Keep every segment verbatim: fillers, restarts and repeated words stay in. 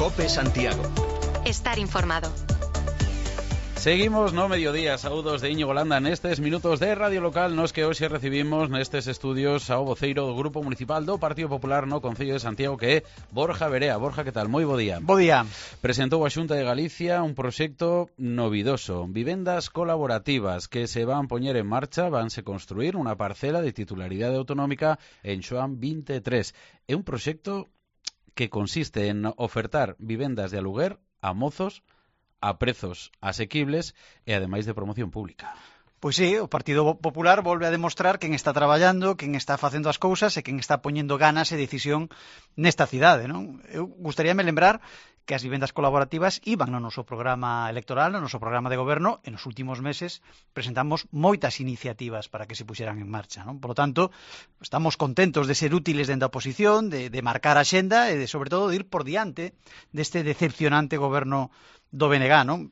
COPE Santiago. Estar informado. Seguimos no mediodía, saúdos de Íñigo Landa nestes minutos de Radio Local nos que hoxe recibimos nestes estudios ao voceiro do Grupo Municipal do Partido Popular no Concello de Santiago, que é Borja Verea. Borja, que tal? Moi bo día. Bo día. Presentou a Xunta de Galicia un proxecto novidoso, vivendas colaborativas que se van poñer en marcha, vanse construir unha parcela de titularidade autonómica en Xoán veintitrés. É un proxecto que consiste en ofertar vivendas de aluguer a mozos a prezos asequibles e ademais de promoción pública. Pois sí, o Partido Popular volve a demostrar quen está traballando, quen está facendo as cousas e quen está poñendo ganas e decisión nesta cidade, non? Eu gustaríame lembrar que as vivendas colaborativas iban no noso programa electoral, no noso programa de goberno, e nos últimos meses presentamos moitas iniciativas para que se puxeran en marcha, non? Por lo tanto, estamos contentos de ser útiles dentro da oposición, de, de marcar a xenda e de, sobre todo, de ir por diante deste decepcionante goberno do B N G, non?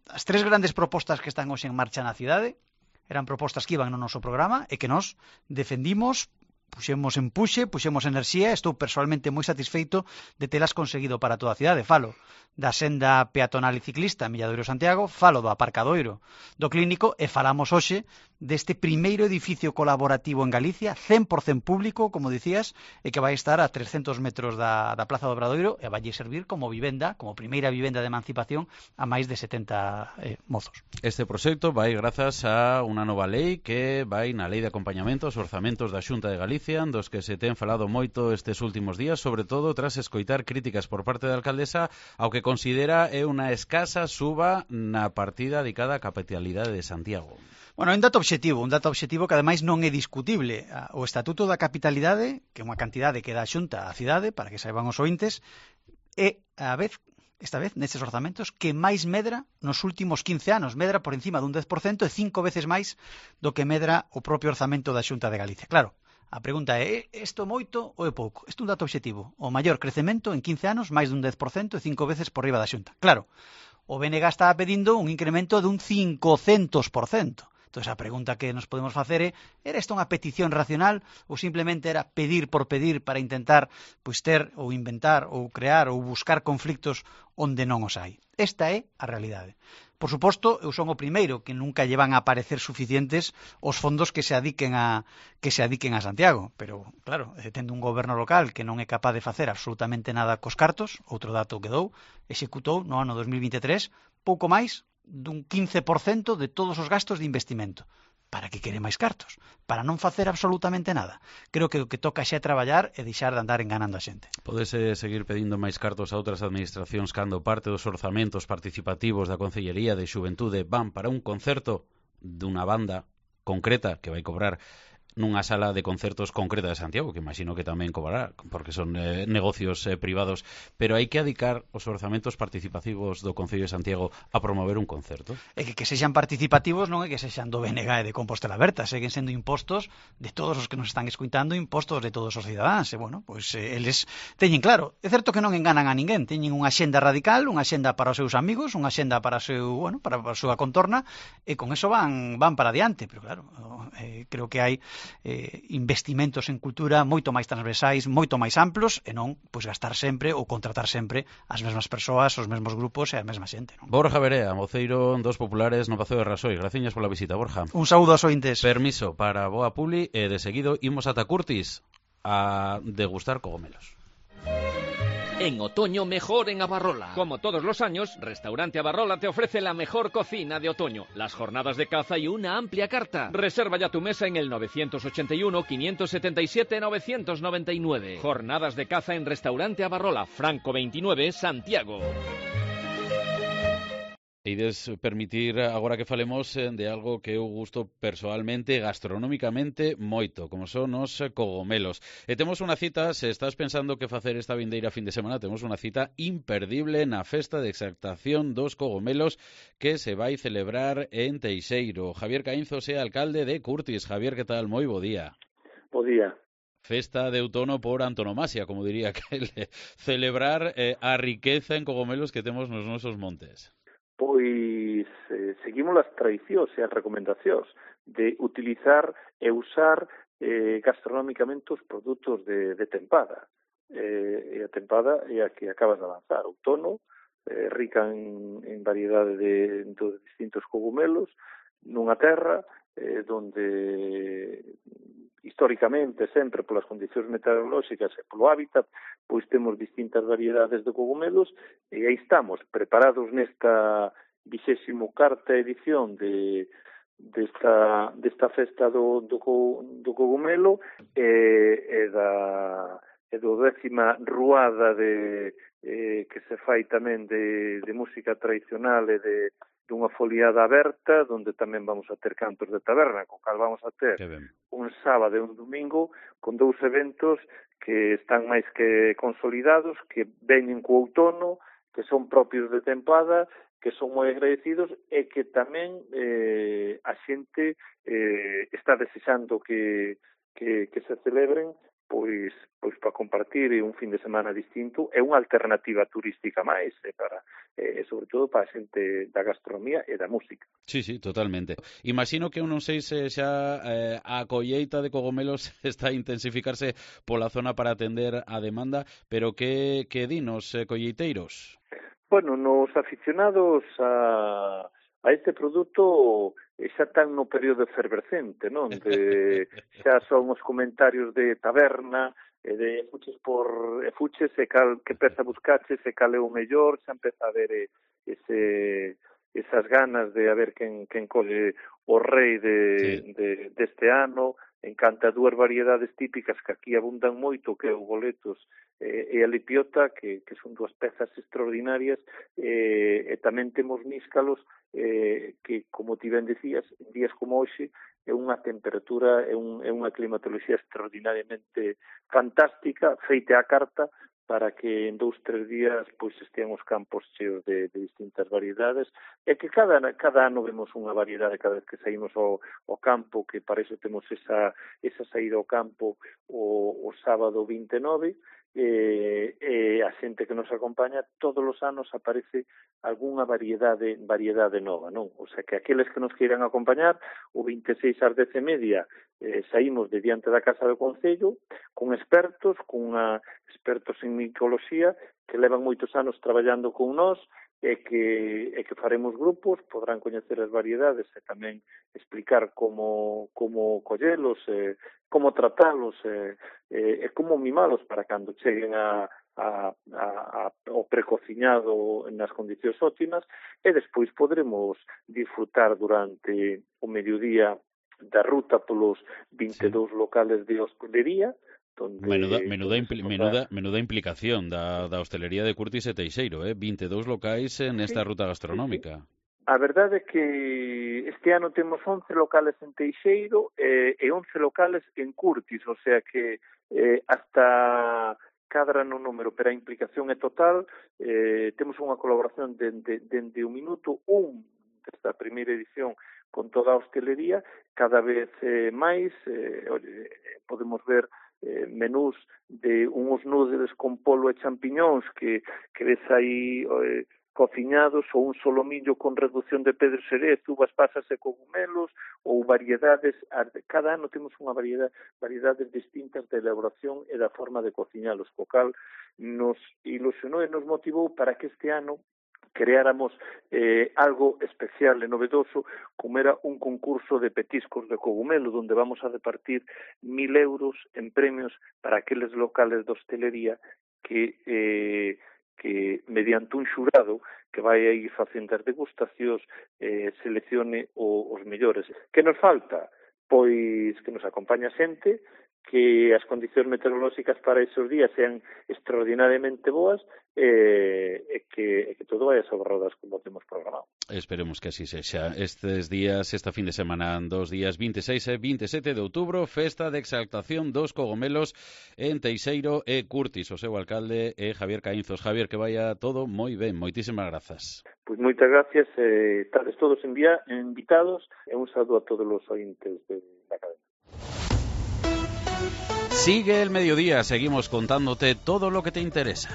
As tres grandes propostas que están hoxe en marcha na cidade eran propostas que iban no noso programa e que nós defendimos, puxemos en puxe, puxemos enerxía, estou personalmente moi satisfeito de telas conseguido para toda a cidade. Falo da senda peatonal e ciclista Milladoiro-Santiago, falo do aparcadoiro do Clínico e falamos hoxe deste primeiro edificio colaborativo en Galicia, cen por cento público, como dicías, e que vai estar a trescentos metros da, da Plaza do Obradoiro e vai servir como vivenda, como primeira vivenda de emancipación a máis de setenta eh, mozos. Este proxecto vai grazas a unha nova lei que vai na lei de acompañamento aos orzamentos da Xunta de Galicia, dos que se ten falado moito estes últimos días, sobre todo tras escoitar críticas por parte da alcaldesa ao que considera é unha escasa suba na partida dedicada á capitalidade de Santiago. Bueno, é un dato obxectivo, un dato obxectivo que ademais non é discutible. O Estatuto da Capitalidade, que é unha cantidade que dá a Xunta á cidade, para que saiban os ointes, é a vez, esta vez, nestes orzamentos, que máis medra nos últimos quince anos. Medra por encima dun dez por cento e cinco veces máis do que medra o propio orzamento da Xunta de Galicia. Claro, a pregunta é, isto moito ou é pouco? Isto é un dato obxectivo. O maior crecemento en quince anos, máis dun dez por cento e cinco veces por riba da Xunta. Claro, o B N G está pedindo un incremento dun cincocentos por cento. Entón, a pregunta que nos podemos facer é, era isto unha petición racional ou simplemente era pedir por pedir para intentar pois ter ou inventar ou crear ou buscar conflictos onde non os hai? Esta é a realidade. Por suposto, eu son o primeiro que nunca lle van a parecer suficientes os fondos que se adiquen a que se adiquen a Santiago, pero claro, tendo un goberno local que non é capaz de facer absolutamente nada cos cartos, outro dato que dou, executou no ano dos mil veintitrés pouco máis dun quince por cento de todos os gastos de investimento. Para que quere máis cartos? Para non facer absolutamente nada. Creo que o que toca xa é traballar e deixar de andar enganando a xente. Podese seguir pedindo máis cartos a outras administracións cando parte dos orzamentos participativos da Concellería de Xuventude van para un concerto dunha banda concreta que vai cobrar nunha sala de concertos concreta de Santiago, que imagino que tamén cobrará, porque son eh, negocios eh, privados, pero hai que adicar os orzamentos participativos do Concello de Santiago a promover un concerto? É que que sexan participativos non é que sexan do B N G e de Compostela Berta, seguen sendo impostos de todos os que nos están escuitando, impostos de todos os cidadáns, e bueno, pois eh, eles teñen claro, é certo que non enganan a ninguén, teñen unha xenda radical, unha xenda para os seus amigos, unha xenda para o seu, bueno, para a súa contorna, e con eso van van para adiante, pero claro, eh, creo que hai Eh, investimentos en cultura moito máis transversais, moito máis amplos e non pois gastar sempre ou contratar sempre as mesmas persoas, os mesmos grupos e a mesma xente, non? Borja Verea, voceiro dos populares no Pazo de Rasoy. Graciñas pola visita, Borja. Un saúdo aos ointes. Permiso para boa publi e de seguido imos ata Curtis a degustar cogomelos. En otoño mejor en Abarrola. Como todos los años, Restaurante Abarrola te ofrece la mejor cocina de otoño, las jornadas de caza y una amplia carta. Reserva ya tu mesa en el nueve ocho uno, cinco siete siete, nueve nueve nueve. Jornadas de caza en Restaurante Abarrola, Franco veintinueve, Santiago. Ides permitir agora que falemos de algo que eu gusto persoalmente, gastronómicamente, moito, como son os cogomelos. E temos unha cita, se estás pensando que facer esta vindeira fin de semana, temos unha cita imperdible na festa de exaltación dos cogomelos que se vai celebrar en Teixeiro. Javier Caínzos é alcalde de Curtis. Javier, que tal? Moi bo día. Bo día. Festa de outono por antonomasia, como diría aquel, celebrar eh, a riqueza en cogomelos que temos nos nosos montes. Pois eh, seguimos as tradicións e as recomendacións de utilizar e usar eh, gastronómicamente os produtos de, de tempada. Eh, e a tempada é a que acabas de avanzar. Outono, eh, rica en, en variedade de, de distintos cogumelos, nunha terra eh, donde históricamente, sempre polas condicións meteorolóxicas e polo hábitat, pois temos distintas variedades de cogumelos e aí estamos, preparados nesta vixésimo cuarta edición de desta, desta festa do, do, do cogumelo e, e da e do décima ruada de, eh, que se fai tamén de, de música tradicional e de dunha foliada aberta, onde tamén vamos a ter cantos de taberna, co cal vamos a ter un sábado e un domingo con dous eventos que están máis que consolidados, que veñen co outono, que son propios de tempada, que son moi agradecidos e que tamén eh, a xente eh, está desexando que, que, que se celebren pois pois para compartir un fin de semana distinto é unha alternativa turística máis e para eh, sobre todo para a xente da gastronomía e da música. Sí, sí, totalmente. Imagino que eu non sei se xa eh, a colleita de cogomelos está a intensificarse pola zona para atender a demanda, pero que, que dinos, eh, colleiteiros? Bueno, nos aficionados a a este produto xa están no período efervescente, non? De, xa son os comentarios de taberna, e de fuches por e fuches e cal que peza buscaches e cal é o mellor, xa empeza a ver ese, esas ganas de a ver quen, quen colle o rei de, sí. de, deste ano. Encanta dúas variedades típicas que aquí abundan moito, que é o boletos eh, e a lipiota, que, que son dúas pezas extraordinarias, eh, e tamén temos níscalos eh, que, como ti ben decías, en días como hoxe, é unha temperatura, é, un, é unha climatoloxía extraordinariamente fantástica, feita a carta, para que en dous, tres días pois estean os campos cheos de, de distintas variedades, e que cada, cada ano vemos unha variedade cada vez que saímos ao, ao campo, que para iso temos esa, esa saída ao campo o, o sábado vinte e nove, e, e a xente que nos acompaña todos os anos aparece algunha variedade variedade nova, non? O sea, que aqueles que nos queiran acompañar, o vinte e seis ás dez e media eh, saímos de diante da Casa do Concello con expertos, con unha, expertos en micoloxía que levan moitos anos traballando con nós e que, e que faremos grupos, podrán coñecer as variedades e tamén explicar como, como collelos, eh, como tratalos e eh, eh, como mimalos para cando cheguen a A, a, a, o precociñado nas condicións óptimas e despois podremos disfrutar durante o mediodía da ruta polos vinte e dous sí. locales de hostelería. Donde, menuda, menuda, impli, menuda, menuda implicación da, da hostelería de Curtis e Teixeiro, eh? vinte e dous locais nesta sí, ruta gastronómica. Sí, sí. A verdade é que este ano temos once locales en Teixeiro eh, e once locales en Curtis, o sea que eh, hasta cadra no número, pero a implicación é total. Eh, temos unha colaboración dende de, de, de un minuto un desta primeira edición con toda a hostelería, cada vez eh, máis eh, podemos ver eh, menús de uns nudes con polo e champiñóns que, que ves aí eh, cociñados, ou un solomillo con reducción de pedro xerez, uvas pasas e cogumelos, ou variedades. Cada ano temos unha variedade, variedades distintas de elaboración e da forma de cociñalos, co cal nos ilusionou e nos motivou para que este ano creáramos eh, algo especial e novedoso, como era un concurso de petiscos de cogumelo, donde vamos a repartir mil euros en premios para aqueles locales de hostelería que eh, que mediante un xurado que vai a ir facendo as degustacións eh, seleccione o, os mellores. Que nos falta? Pois que nos acompaña xente, que as condicións meteorolóxicas para esos días sean extraordinariamente boas e, e, que, e que todo vai a sobre rodas como temos programado. Esperemos que así sexa. Estes días, esta fin de semana, dos días vinte e seis e vinte e sete de outubro, festa de exaltación dos cogomelos en Teixeiro e Curtis. O seu alcalde é Javier Caínzos. Javier, que vaya todo moi ben. Moitísimas grazas. Pois moitas gracias. Eh, estades todos envía, invitados e un saludo a todos os ointes de, da cadena. Sigue el mediodía, seguimos contándote todo lo que te interesa.